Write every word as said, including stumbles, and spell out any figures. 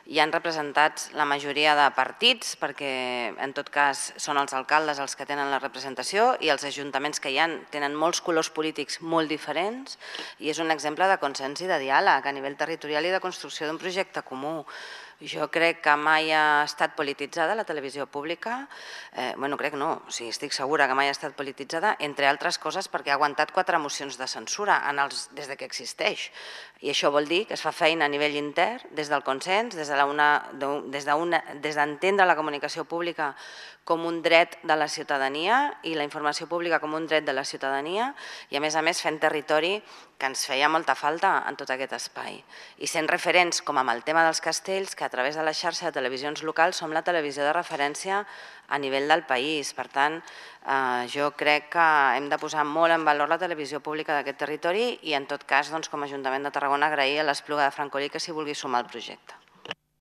hi han representats la majoria de partits, perquè en tot cas són els alcaldes els que tenen la representació i els ajuntaments que hi ha tenen molts colors polítics molt diferents i és un exemple de consens i de diàleg a nivell territorial i de construcció d'un projecte comú. Jo crec que mai ha estat polititzada la televisió pública, bueno, crec no, o sigui, estic segura que mai ha estat polititzada, entre altres coses perquè ha aguantat quatre mocions de censura des que existeix. I això vol dir que es fa feina a nivell intern, des del consens, des d'entendre la comunicació pública com un dret de la ciutadania i la informació pública com un dret de la ciutadania i a més a més fent territori que ens feia molta falta en tot aquest espai. I sent referents, com amb el tema dels castells, que a través de la xarxa de televisions locals som la televisió de referència a nivell del país. Per tant, jo crec que hem de posar molt en valor la televisió pública d'aquest territori i en tot cas, com a Ajuntament de Tarragona, agrair a l'Espluga de Francolí que s'hi vulgui sumar al projecte.